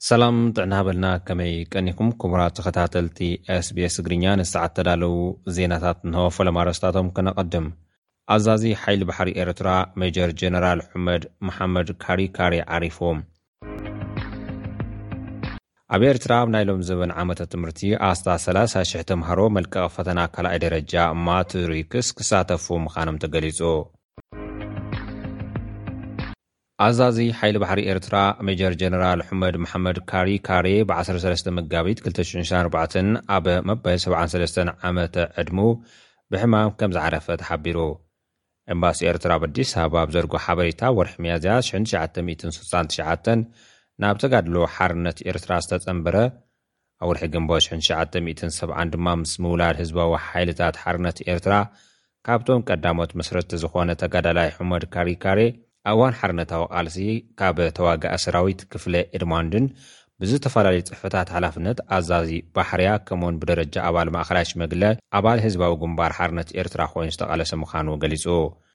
ሰላም ጥዕና በልና፣ ከመይ ቀኒኩም ክቡራት ተኸታተልቲ SBS ትግርኛ? ንሰዓት ተዳለዉ ዜናታት እንሆ። ፈለማ ኣርእስታቶም ከነቐድም። ኣዛዚ ሓይሊ ባሕሪ ኤርትራ ሜጀር ጀነራል ሑመድ መሓመድ ካሪካሪ ዓሪፉ። ኣብ ኤርትራ ኣብ ናይ ሎም ዘበን ዓመተ ትምህርቲ ኣስታት ሰላሳ ሽሕ ተምሃሮ መልቀቕ ፈተና ካልኣይ ደረጃ ማትሪክስ ክሳተፉ ምዃኖም ተገሊጹ። ኣዛዚ ሓይሊ ባሕሪ ኤርትራ ሜጀር ጀነራል ሑመድ መሓመድ ካሪካሪ ብ ዓሰርተ ሰለስተ መጋቢት ክልተ ሽሕን ዕስራን ኣርባዕተን ኣብ መበል ሰብዓን ሰለስተን ዓመተ ዕድሙ ብሕማም ከም ዝዓረፈ ተሓቢሩ። ኤምባሲ ኤርትራ ኣብ ኣዲስ ኣበባ ኣብ ዘርጎ ሓበሬታ፣ ወርሒ ሚያዝያ ሽሕን ትሽዓተ ሚእትን ስሳን ትሽዓተን ናብ ተጋድሎ ሓርነት ኤርትራ ዝተጸንበረ፣ ኣብ ወርሒ ግንቦት ሽሕን ትሽዓተ ሚእትን ሰብዓን ድማ ምስ ምውላድ ህዝባዊ ሓይልታት ሓርነት ኤርትራ ካብቶም ቀዳሞት መስረትቲ ዝኾነ ተጋዳላይ ሑመድ ካሪካሬ፣ ኣብ እዋን ሓርነታዊ ቃልሲ ካብ ተዋጋኢ ሰራዊት ክፍለ ኤድማንድን ብዝተፈላለዩ ጽሕፈታት ሓላፍነት ኣዛዚ ባሕርያ ከምኡውን ብደረጃ ኣባል ማእኸላይ ሽመግለ ኣባል ህዝባዊ ግንባር ሓርነት ኤርትራ ኮይኑ ዝተቓለሰ ምዃኑ ገሊጹ።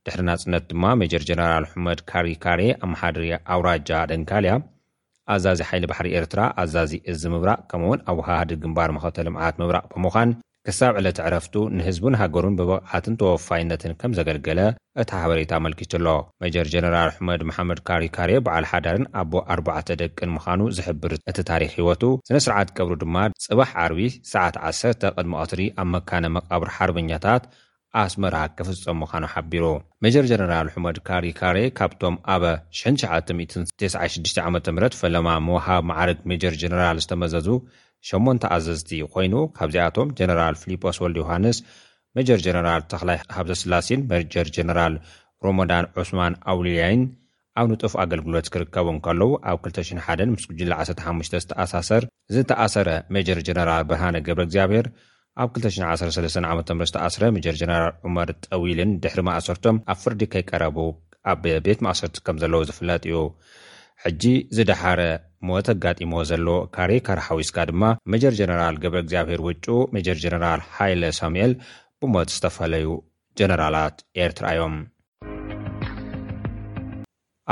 ድሕሪ ናጽነት ድማ ሜጀር ጀነራል ሑመድ ካሪካሬ ኣመሓዳሪ ኣውራጃ ደንካልያ፣ ኣዛዚ ሓይሊ ባሕሪ ኤርትራ፣ ኣዛዚ እዚ ምብራቕ ከምኡውን ኣወሃሃዲ ግንባር መኸተ ልምዓት ምብራቕ ብምዃን ክሳብ ዕለተ ዕረፍቱ ንህዝቡን ሃገሩን ብብቕዓትን ተወፋይነትን ከም ዘገልገለ እቲ ሓበሬታ ኣመልኪቱ ኣሎ። ሜጀር ጀነራል ሑመድ መሓመድ ካሪካሬ በዓል ሓዳርን ኣቦ ኣርባዕተ ደቅን ምዃኑ ዝሕብር እቲ ታሪኽ ህይወቱ፣ ስነ ስርዓት ቀብሩ ድማ ጽባሕ ዓርቢ ሰዓት ዓሰርተ ቅድሚ ቀትሪ ኣብ መካነ መቃብር ሓርበኛታት ኣስመራ ክፍጸም ምዃኑ ሓቢሩ። ሜጀር ጀነራል ሑመድ ካሪካሬ ካብቶም ኣብ ሽሕን ትሽዓተ ሚእትን ተስዓን ሽዱሽተን ዓመተ ምህረት ፈለማ ምውሃብ መዓርግ ሜጀር ጀነራል ዝተመዘዙ ሸሞንተ ኣዘዝቲ ኮይኑ፣ ካብዚኣቶም ጀነራል ፊሊጶስ ወልደ ዮሃንስ፣ ሜጀር ጀነራል ተኽላይ ሃብተስላሴን ሜጀር ጀነራል ሮሞዳን ዑስማን ኣውልያይን ኣብ ንጡፍ ኣገልግሎት ክርከቡ እንከለዉ፣ ኣብ ክልተ ሽሕን ሓደን ምስ ጉጅለ ዓሰርተ ሓሙሽተ ዝተኣሳሰር፣ ዝተኣሰረ ሜጀር ጀነራል ብርሃነ ገብረ እግዚኣብሔር፣ ኣብ ክልተ ሽሕን ዓሰርተ ሰለስተን ዓመተ ምህረት ዝተኣስረ ሜጀር ጀነራል ዑመር ጠዊልን ድሕሪ ማእሰርቶም ኣብ ፍርዲ ከይቀረቡ ኣብ ቤት ማእሰርቲ ከም ዘለዉ ዝፍለጥ እዩ። ሕጂ ዝደሓረ ሞት ኣጋጢሞ ዘሎ ካሬ ካር ሓዊስካ ድማ ሜጀር ጀነራል ገብረ እግዚኣብሔር ውጩ፣ ሜጀር ጀነራል ሃይለ ሳሙኤል ብሞት ዝተፈለዩ ጀነራላት ኤርትራ እዮም።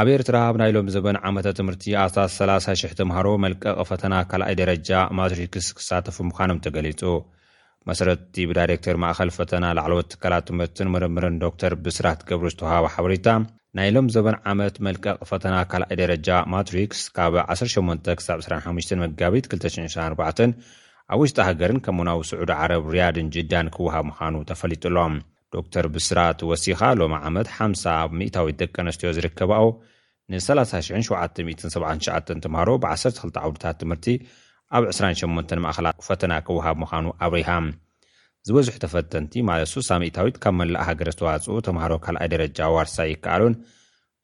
ኣብ ኤርትራ ኣብ ናይ ሎም ዘበን ዓመተ ትምህርቲ ኣስታት ሰላሳ ሽሕ ተምሃሮ መልቀቂ ፈተና ካልኣይ ደረጃ ማትሪክስ ክሳተፉ ምዃኖም ተገሊጹ። መሰረትቲ ብዳይሬክተር ማእኸል ፈተና ላዕለዎት ትካላት ትምህርትን ምርምርን ዶክተር ብስራት ገብሩ ዝተውሃበ ሓበሬታ፣ ናይ ሎም ዘበን ዓመት መልቀቂ ፈተና ካልኣይ ደረጃ ማትሪክስ ካብ ዓሰርተ ሸሞንተ ክሳብ ዕስራን ሓሙሽተን መጋቢት ክልተ ሽሕን ዕስራን ኣርባዕተን ኣብ ውሽጢ ሃገርን ከምኡውን ኣብ ስዑዲ ዓረብ ሪያድን ጅዳን ክወሃብ ምዃኑ ተፈሊጡ ኣሎ። ዶክተር ብስራት ወሲኻ፣ ሎሚ ዓመት ሓምሳ ሚእታዊት ደቂ ኣንስትዮ ዝርከባኦ ንሰላሳ ሽሕን ሸውዓተ ሚእትን ሰብዓን ትሽዓተን ተምሃሮ ብ ዓሰርተ ክልተ ዓውድታት ትምህርቲ ኣብ ዕስራን ሸሞንተን ማእኸላት ፈተና ክወሃብ ምዃኑ ኣብሪሃ። ዝበዝሑ ተፈተንቲ፣ ማለት ስሳ ሚእታዊት፣ ካብ መላእ ሃገር ዝተዋፅኡ ተምሃሮ ካልኣይ ደረጃ ዋርሳይ ይከኣሉን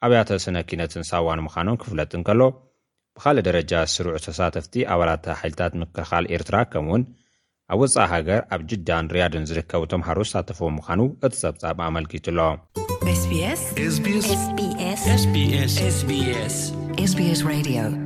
ኣብያተ ስነ ኪነትን ሳዋን ምዃኖም ክፍለጥ እንከሎ፣ ብኻልእ ደረጃ ስሩዕ ተሳተፍቲ ኣባላት ሓይልታት ምክልኻል ኤርትራ ከምኡውን ኣብ ወጻኢ ሃገር ኣብ ጅዳን ሪያድን ዝርከቡ ተምሃሮ ዝሳተፍዎ ምዃኑ እቲ ጸብጻብ ኣመልኪቱ ኣሎ። SBS SBS SBS SBS SBS Radio